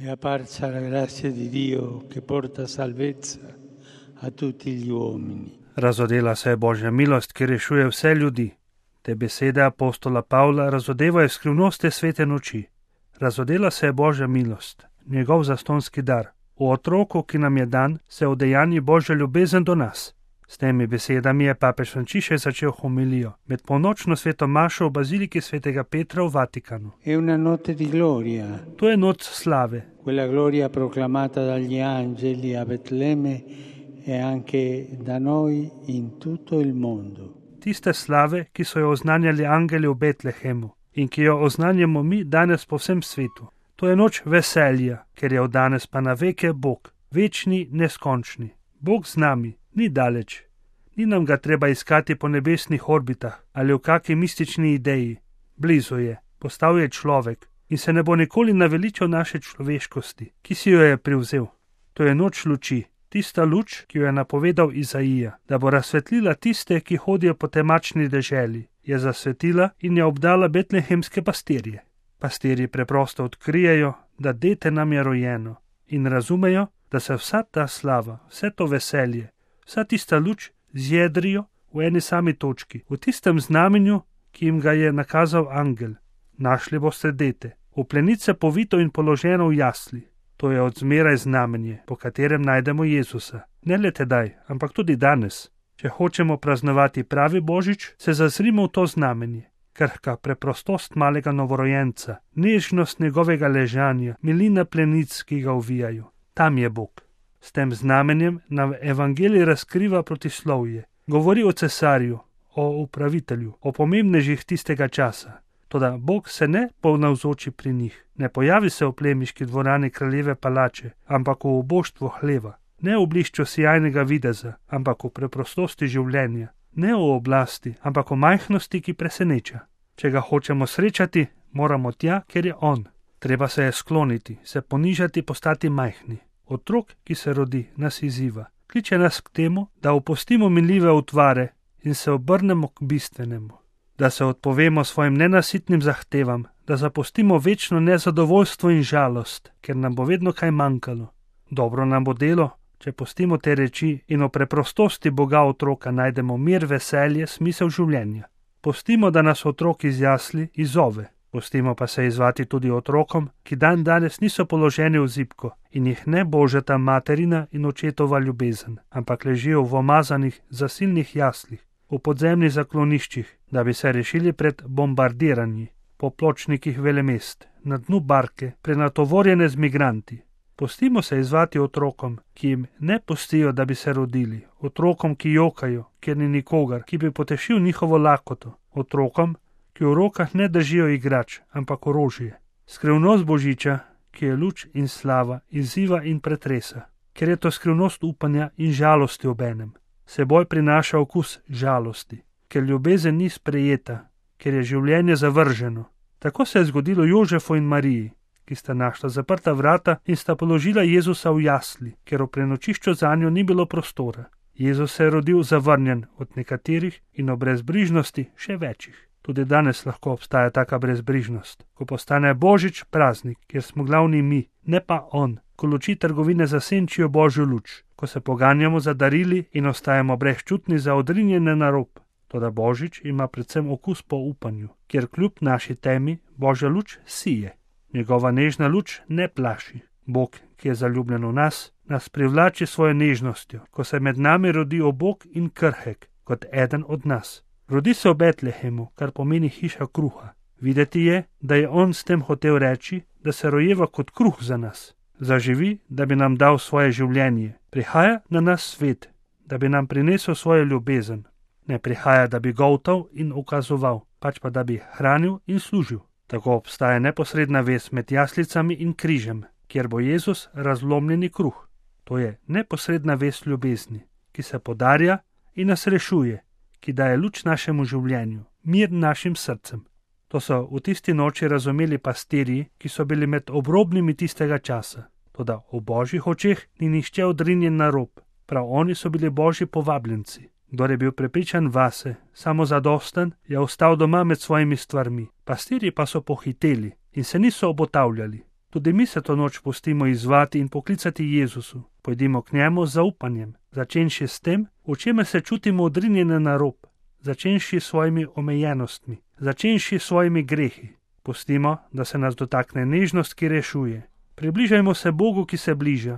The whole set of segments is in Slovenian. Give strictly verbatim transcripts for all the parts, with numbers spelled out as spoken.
È apparsa la grazia di Dio che porta salvezza a tutti gli uomini. Razodela se je Božja milost, ki rešuje vse ljudi. Te besede apostola Pavla razodevajo skrivnosti svete noči. Razodela se je Božja milost, njegov zastonski dar. V otroku, ki nam je dan, se udejanji Božja ljubezen do nas. S temi besedami je papež Frančišek začel homilijo med polnočno sveto mašo v baziliki svetega Petra v Vatikanu. È una notte di gloria. To je noč slave. Quella gloria proclamata dagli angeli a Betlemme e anche da noi in tutto il mondo. Tiste slave, ki so jo oznanjali angeli v Betlehemu in ki jo oznanjamo mi danes po vsem svetu. To je noč veselja, ker je od danes pa na veke Bog, večni, neskončni. Bog z nami, ni daleč. Ni nam ga treba iskati po nebesnih orbitah ali v kaki mistični ideji. Blizu je, postal je človek in se ne bo nikoli naveličal naše človeškosti, ki si jo je privzel. To je noč luči, tista luč, ki jo je napovedal Izaija, da bo razsvetlila tiste, ki hodijo po temačni deželi, je zasvetila in je obdala betlehemske pastirje. Pastirji preprosto odkrijejo, da dete nam je rojeno in razumejo, da se vsa ta slava, vse to veselje, vsa tista luč zjedrijo v eni sami točki, v tistem znamenju, ki jim ga je nakazal angel. Našli boste dete, v plenice povito in položeno v jasli. To je odzmeraj znamenje, po katerem najdemo Jezusa. Ne le tedaj, ampak tudi danes. Če hočemo praznovati pravi Božič, se zazrimo v to znamenje. Krhka preprostost malega novorojenca, nežnost njegovega ležanja, milina plenic, ki ga uvijajo. Tam je Bog. S tem znamenjem nam evangelij razkriva protislovje. Govori o cesarju, o upravitelju, o pomembnežih tistega časa. Toda Bog se ne ponavzoči pri njih. Ne pojavi se v plemiški dvorani kraljeve palače, ampak v uboštvu hleva. Ne v blišču sijajnega videza, ampak v preprostosti življenja. Ne v oblasti, ampak v majhnosti, ki preseneča. Če ga hočemo srečati, moramo tja, kjer je on. Treba se je skloniti, se ponižati, postati majhni. Otrok, ki se rodi, nas izziva. Kliče nas k temu, da opustimo minljive utvare in se obrnemo k bistvenemu. Da se odpovemo svojim nenasitnim zahtevam, da zapustimo večno nezadovoljstvo in žalost, ker nam bo vedno kaj manjkalo. Dobro nam bo delo, če pustimo te reči in o preprostosti Boga otroka najdemo mir, veselje, smisel življenja. Pustimo, da nas otrok iz jasli izzove. Pustimo pa se izvati tudi otrokom, ki dan danes niso položeni v zibko in jih ne božata materina in očetova ljubezen, ampak ležijo v omazanih, zasilnih jaslih, v podzemnih zakloniščih, da bi se rešili pred bombardiranji, po pločnikih velemest, na dnu barke, prenatovorjene z migranti. Pustimo se izvati otrokom, ki jim ne pustijo, da bi se rodili, otrokom, ki jokajo, ker ni nikogar, ki bi potešil njihovo lakoto, otrokom, ki v rokah ne držijo igrač, ampak orožje. Skrivnost Božiča, ki je luč in slava, izziva in pretresa, ker je to skrivnost upanja in žalosti obenem. Seboj prinaša okus žalosti, ker ljubezen ni sprejeta, ker je življenje zavrženo. Tako se je zgodilo Jožefu in Mariji, ki sta našla zaprta vrata in sta položila Jezusa v jasli, ker v prenočišču zanjo ni bilo prostora. Jezus se je rodil zavrnjen od nekaterih in o brezbrižnosti še večjih. Tudi danes lahko obstaja taka brezbrižnost, ko postane Božič praznik, kjer smo glavni mi, ne pa on, ko luči trgovine zasenčijo Božjo luč, ko se poganjamo za darili in ostajamo brezčutni za odrinjene na rob. Toda Božič ima predvsem okus po upanju, kjer kljub naši temi Božja luč sije. Njegova nežna luč ne plaši. Bog, ki je zaljubljen v nas, nas privlači svojo nežnostjo, ko se med nami rodi obok in krhek, kot eden od nas. Rodi se v Betlehemu, kar pomeni hiša kruha. Videti je, da je on s tem hotel reči, da se rojeva kot kruh za nas. Zaživi, da bi nam dal svoje življenje. Prihaja na nas svet, da bi nam prinesel svojo ljubezen. Ne prihaja, da bi goltal in ukazoval, pač pa da bi hranil in služil. Tako obstaja neposredna vez med jaslicami in križem, kjer bo Jezus razlomljeni kruh. To je neposredna vez ljubezni, ki se podarja in nas rešuje, ki daje luč našemu življenju, mir našim srcem. To so v tisti noči razumeli pastirji, ki so bili med obrobnimi tistega časa. Toda v Božjih očeh ni nihče odrinjen na rob. Prav oni so bili Božji povabljenci. Kdor je bil prepričan vase, samozadosten, je ostal doma med svojimi stvarmi. Pastirji pa so pohiteli in se niso obotavljali. Tudi mi se to noč pustimo izzvati in poklicati Jezusu. Pojdimo k njemu z zaupanjem, začenši s tem, v čemer se čutimo odrinjene na rob, začenši s svojimi omejenostmi, začenši s svojimi grehi. Pustimo, da se nas dotakne nežnost, ki rešuje. Približajmo se Bogu, ki se bliža.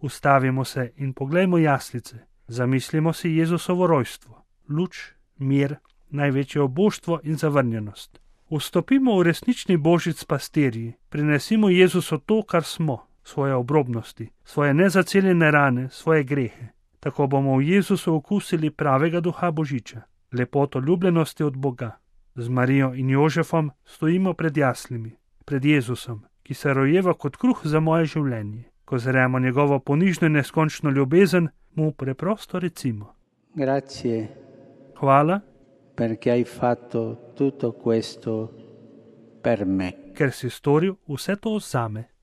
Ustavimo se in poglejmo jaslice. Zamislimo si Jezusovo rojstvo, luč, mir, največje oboštvo in zavrnjenost. Vstopimo v resnični božic s pastirji, prinesimo Jezusu to, kar smo, svoje obrobnosti, svoje nezaceljene rane, svoje grehe. Tako bomo v Jezusu okusili pravega duha Božiča, lepoto ljubljenosti od Boga. Z Marijo in Jožefom stojimo pred jaslimi, pred Jezusom, ki se rojeva kot kruh za moje življenje. Ko zremo njegovo ponižno in neskončno ljubezen, mu preprosto recimo: Grazie. Hvala, perché hai fatto tutto questo per me. Ker si storil vse to zame.